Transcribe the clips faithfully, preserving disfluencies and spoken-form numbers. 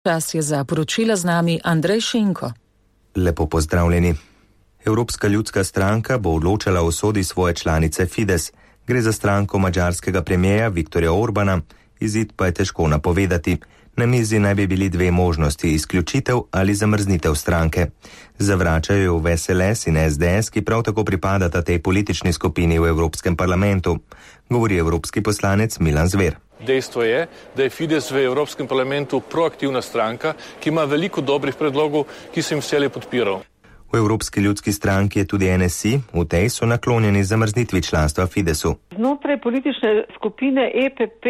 Čas je za poročila z nami Andrej Šinko. Lepo pozdravljeni. Evropska ljudska stranka bo odločala o sodi svoje članice Fides. Gre za stranko madžarskega premijeja Viktorja Orbana, izid pa je težko napovedati. Na mizi naj bi bili dve možnosti, izključitev ali zamrznitev stranke. Zavračajo jo V S L S in S D S, ki prav tako pripadata tej politični skupini v Evropskem parlamentu, govori evropski poslanec Milan Zver. Dejstvo je, da je Fides v Evropskem parlamentu proaktivna stranka, ki ima veliko dobrih predlogov, ki sem jih vselej podpiral. V Evropski ljudski stranki je tudi N S I, v tej so naklonjeni zamrznitvi članstva Fidesu. Znotraj politične skupine E P P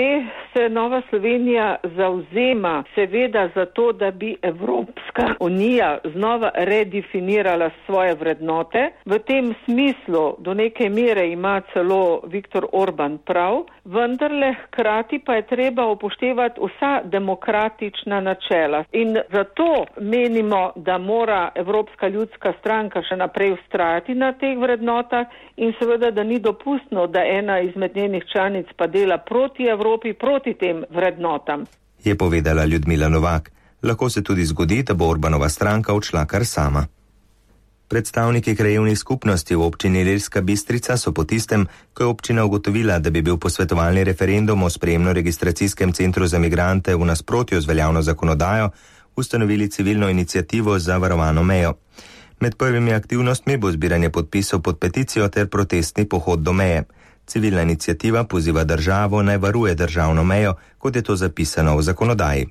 se Nova Slovenija zavzema seveda za to, da bi Evropska unija znova redefinirala svoje vrednote. V tem smislu do neke mere ima celo Viktor Orban prav, vendarle hkrati pa je treba upoštevati vsa demokratična načela. In zato menimo, da mora Evropska ljudska stranka še naprej vztrajati na teh vrednotah in seveda, da ni dopustno, da ena izmed njenih članic pa dela proti Evropi, proti tem vrednotam. Je povedala Ljudmila Novak. Lahko se tudi zgodi, da bo Orbanova stranka odšla kar sama. Predstavniki krajevnih skupnosti v občini Ilirska Bistrica so po tistem, ko je občina ugotovila, da bi bil posvetovalni referendum o sprejemno-registracijskem centru za migrante v nasprotju z veljavno zakonodajo, ustanovili civilno iniciativo za varovano mejo. Med prvimi aktivnostmi bo zbiranje podpisov pod peticijo ter protestni pohod do meje. Civilna iniciativa poziva državo naj varuje državno mejo, kot je to zapisano v zakonodaji.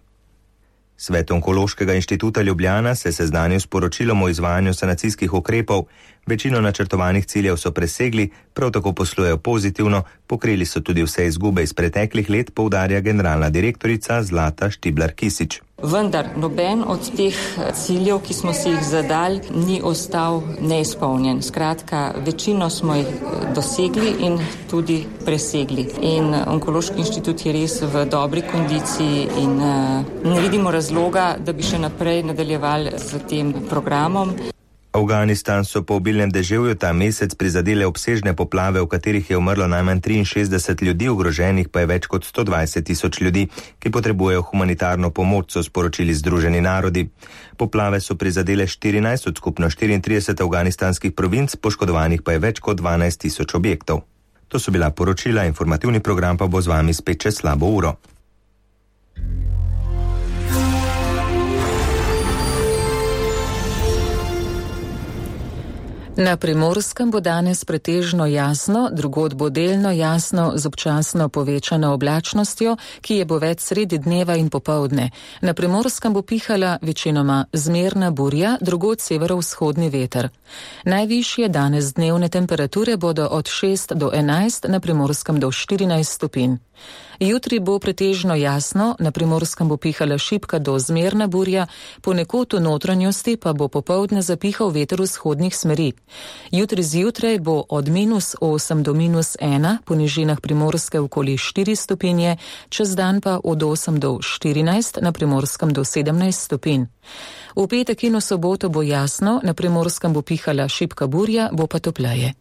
Svet Onkološkega inštituta Ljubljana se seznanil s poročilom o izvajanju sanacijskih ukrepov. Večino načrtovanih ciljev so presegli, prav tako poslujejo pozitivno, pokrili so tudi vse izgube iz preteklih let, poudarja generalna direktorica Zlata Štiblar-Kisič. Vendar noben od teh ciljev, ki smo si jih zadali, ni ostal neizpolnjen. Skratka, večino smo jih dosegli in tudi presegli. In Onkološki inštitut je res v dobri kondiciji in ne vidimo razloga, da bi še naprej nadaljevali z tem programom. Afganistan so po obilnem deževju ta mesec prizadele obsežne poplave, v katerih je umrlo najmanj triinšestdeset ljudi, ogroženih pa je več kot sto dvajset tisoč ljudi, ki potrebujejo humanitarno pomoč, so sporočili Združeni narodi. Poplave so prizadele štirinajst od skupno štiriintrideset afganistanskih provinc, poškodovanih pa je več kot dvanajst tisoč objektov. To so bila poročila, informativni program pa bo z vami spet čez slabo uro. Na Primorskem bo danes pretežno jasno, drugod bo delno jasno z občasno povečano oblačnostjo, ki je bo več sredi dneva in popoldne. Na Primorskem bo pihala večinoma zmerna burja, drugod severovzhodni veter. Najvišje danes dnevne temperature bodo od šest do enajst, na Primorskem do štirinajst stopinj. Jutri bo pretežno jasno, na Primorskem bo pihala šibka do zmerna burja, ponekod v notranjosti pa bo popoldne zapihal veter vzhodnih smeri. Jutri zjutraj bo od minus osem do minus ena, po nižinah Primorske okoli štiri stopinje, čez dan pa od osem do štirinajst, na Primorskem do sedemnajst stopinj. V petek in v soboto bo jasno, na Primorskem bo pihala šibka burja, bo pa topleje.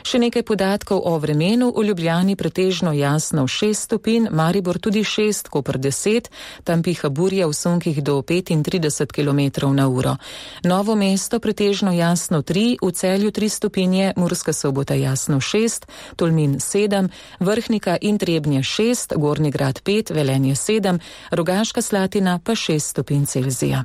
Še nekaj podatkov o vremenu. V Ljubljani pretežno jasno šest stopinj, Maribor tudi šest, Koper deset, tam piha burja v sunkih do petintrideset kilometrov na uro. Novo mesto pretežno jasno tri, v Celju tri stopinje, Murska Sobota jasno šest, Tolmin sedem, Vrhnika in Trebnje šest, Gornji Grad pet, Velenje sedem, Rogaška Slatina pa šest stopinj Celzija.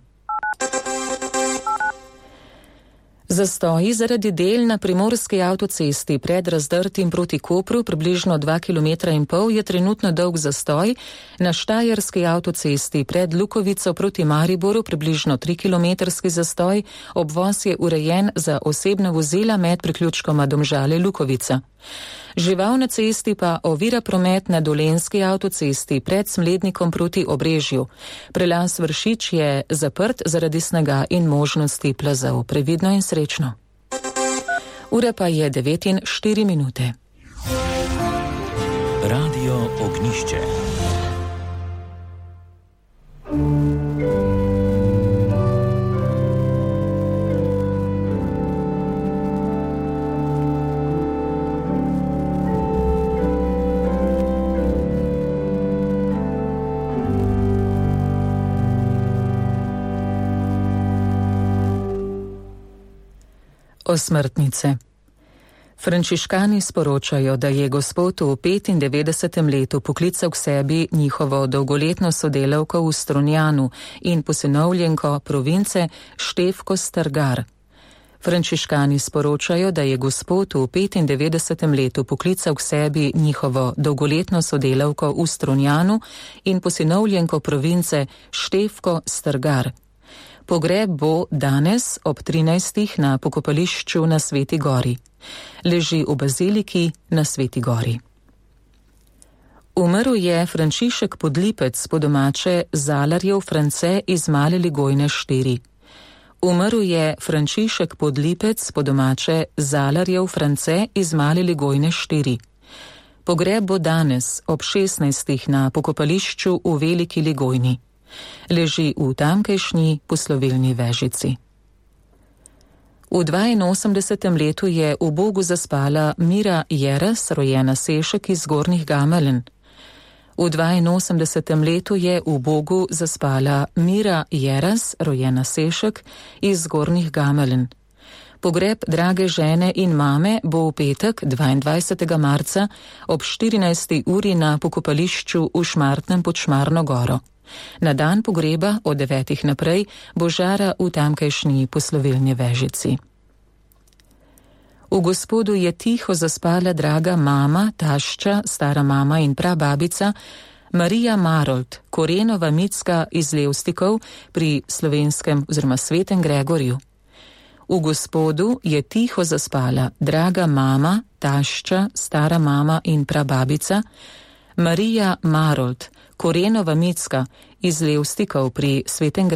Zastoji zaradi del na Primorski avtocesti pred Razdrtim proti Kopru, približno dva kilometra in pol, je trenutno dolg zastoj. Na Štajerski avtocesti pred Lukovico proti Mariboru približno trikilometrski zastoj, obvoz je urejen za osebna vozila med priključkoma Domžale-Lukovica. Žival na cesti pa ovira promet na Dolenjski avtocesti pred Smlednikom proti Obrežju. Prelaz Vršič je zaprt zaradi snega in možnosti plazov. Previdno in srečno. Ura pa je devet in štiri minute. Radio Ognišče. Osmrtnice. Frančiškani sporočajo, da je Gospod v petindevetdesetem letu poklical k sebi njihovo dolgoletno sodelavko v Strunjanu in posinovljenko province Štefko Strgar. Frančiškani sporočajo, da je Gospod v petindevetdesetem letu poklical k sebi njihovo dolgoletno sodelavko v Strunjanu in posinovljenko province Štefko Strgar. Pogreb bo danes ob trinajstih na pokopališču na Sveti Gori. Leži v baziliki na Sveti Gori. Umrl je Frančišek Podlipec, po domače Zalarjev France iz Male Ligojne štiri. Umrl je Frančišek Podlipec, po domače Zalarjev France iz Male Ligojne štiri. Pogreb bo danes ob šestnajstih na pokopališču v Veliki Ligojni. Leži v tamkajšnji poslovilni vežici. V dvainosemdesetem letu je v Bogu zaspala Mira Jeras, rojena Sešek iz Zgornjih Gameln. V dvainosemdesetem letu je v Bogu zaspala Mira Jeras, rojena Sešek iz Zgornjih Gameln. Pogreb drage žene in mame bo v petek, dvaindvajsetega marca, ob štirinajsti uri na pokopališču v Šmartnem pod Šmarno goro. Na dan pogreba od devetih naprej bo žara v tamkajšnji poslovilni vežici. V Gospodu je tiho zaspala draga mama, tašča, stara mama in prababica Marija Marold, Korenova Micka iz Levstikov pri slovenskem oziroma Svetem Gregorju. V Gospodu je tiho zaspala draga mama, tašča, stara mama in prababica Marija Marold, Korenova Micka iz Levstikov pri Svetem